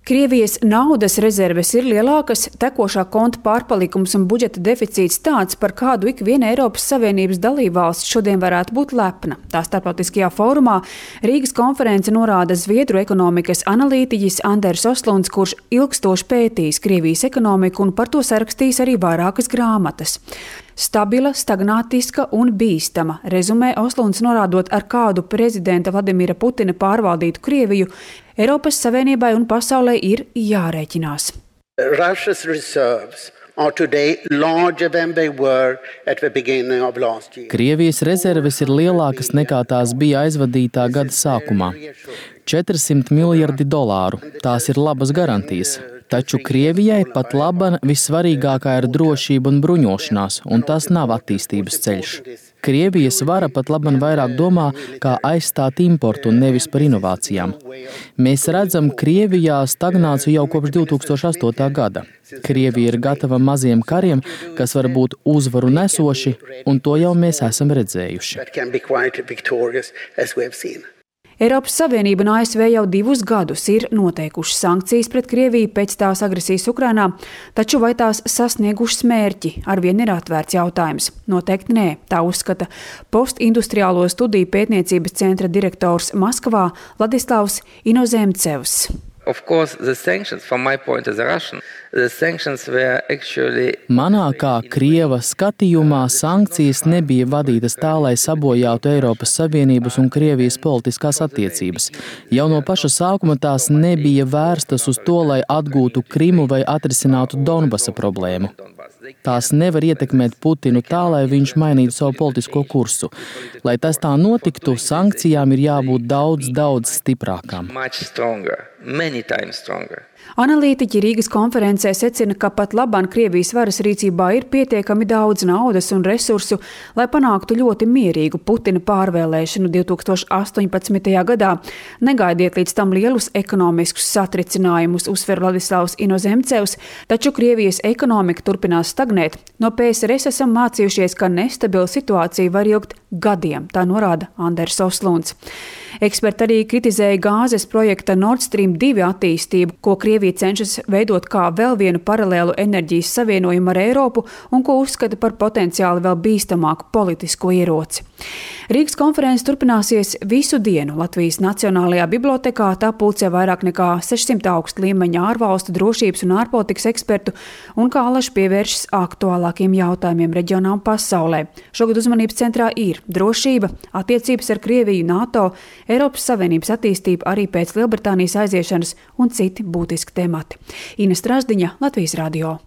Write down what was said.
Krievijas naudas rezerves ir lielākas, tekošā konta pārpalikums un budžeta deficīts tāds, par kādu ik viena Eiropas Savienības dalībvalsts šodien varētu būt lepna. Tā starptautiskajā fórumā Rīgas konference norāda zviedru ekonomikas analītiķis Anders Oslunds, kurš ilgstoši pētījis Krievijas ekonomiku un par to sarakstījis arī vairākas grāmatas. Stabila, stagnātiska un bīstama, rezumē Oslunds norādot, ar kādu prezidenta Vladimira Putina pārvaldītu Krieviju, Eiropas Savienībai un pasaulē ir jārēķinās. Russia's reserves are today larger than they were at the beginning of last year. Krievijas rezerves ir lielākas nekā tās bija aizvadītā gada sākumā. 400 miljardi dolāru. Tās ir labas garantijas. Taču Krievijai pat laban vissvarīgākā ir drošība un bruņošanās, un tas nav attīstības ceļš. Krievijas vara pat laban vairāk domā, kā aizstāt importu un nevis par inovācijām. Mēs redzam Krievijā stagnāciju jau kopš 2008. gada. Krievija ir gatava maziem kariem, kas var būt uzvaru nesoši, un to jau mēs esam redzējuši. Eiropas Savienība un ASV jau 2 gadus ir noteikušas sankcijas pret Krieviju pēc tās agresijas Ukrainā, taču vai tās sasniegušas mērķi, arvien ir atvērts jautājums. Noteikti nē, tā uzskata Postindustriālo studiju pētniecības centra direktors Maskavā Ladislavs Inozemcevs. Of course, the sanctions, from my point as a Russian, the sanctions were actually... Manā kā Krieva skatījumā sankcijas nebija vadītas tā, lai sabojātu Eiropas Savienības un Krievijas politiskās attiecības. Jau no paša sākuma tās nebija vērstas uz to, lai atgūtu Krimu vai atrisinātu Donbasa problēmu. Tās nevar ietekmēt Putinu tā, lai viņš mainītu savu politisko kursu. Lai tas tā notiktu, sankcijām ir jābūt daudz stiprākām. Many times stronger. Analītiķi Rīgas konferencē secina, ka pat labāk Krievijas varas rīcībā ir pietiekami daudz naudas un resursu, lai panāktu ļoti mierīgu Putina pārvēlēšanu 2018. gadā. Negaidiet līdz tam lielus ekonomiskus satricinājumus, uzsver Ladislavs Inozemcevs, taču Krievijas ekonomika turpinās stagnēt. No PSRS esam mācījušies, ka nestabila situācija var ilgt gadiem, tā norāda Anders Oslunds. Eksperti arī kritizēja gāzes projekta Nord Stream 2 attīstību, ko Krievija cenšas veidot kā vēl vienu paralēlu enerģijas savienojumu ar Eiropu un ko uzskata par potenciāli vēl bīstamāku politisko ieroci. Rīgas konferences turpināsies visu dienu Latvijas Nacionālajā bibliotekā, tā pulcē vairāk nekā 600 augsta līmeņa ārvalstu drošības un ārpolitikas ekspertu un kā alaši pievēršas aktuālākiem jautājumiem reģionā un pasaulē. Šogad uzmanības centrā ir drošība, attiecības ar Krieviju, NATO, Eiropas Savienības attīstība arī pēc Lielbritānijas aiziešanas un citi būtiski temati. Ines Strasdiņa, Latvijas radio.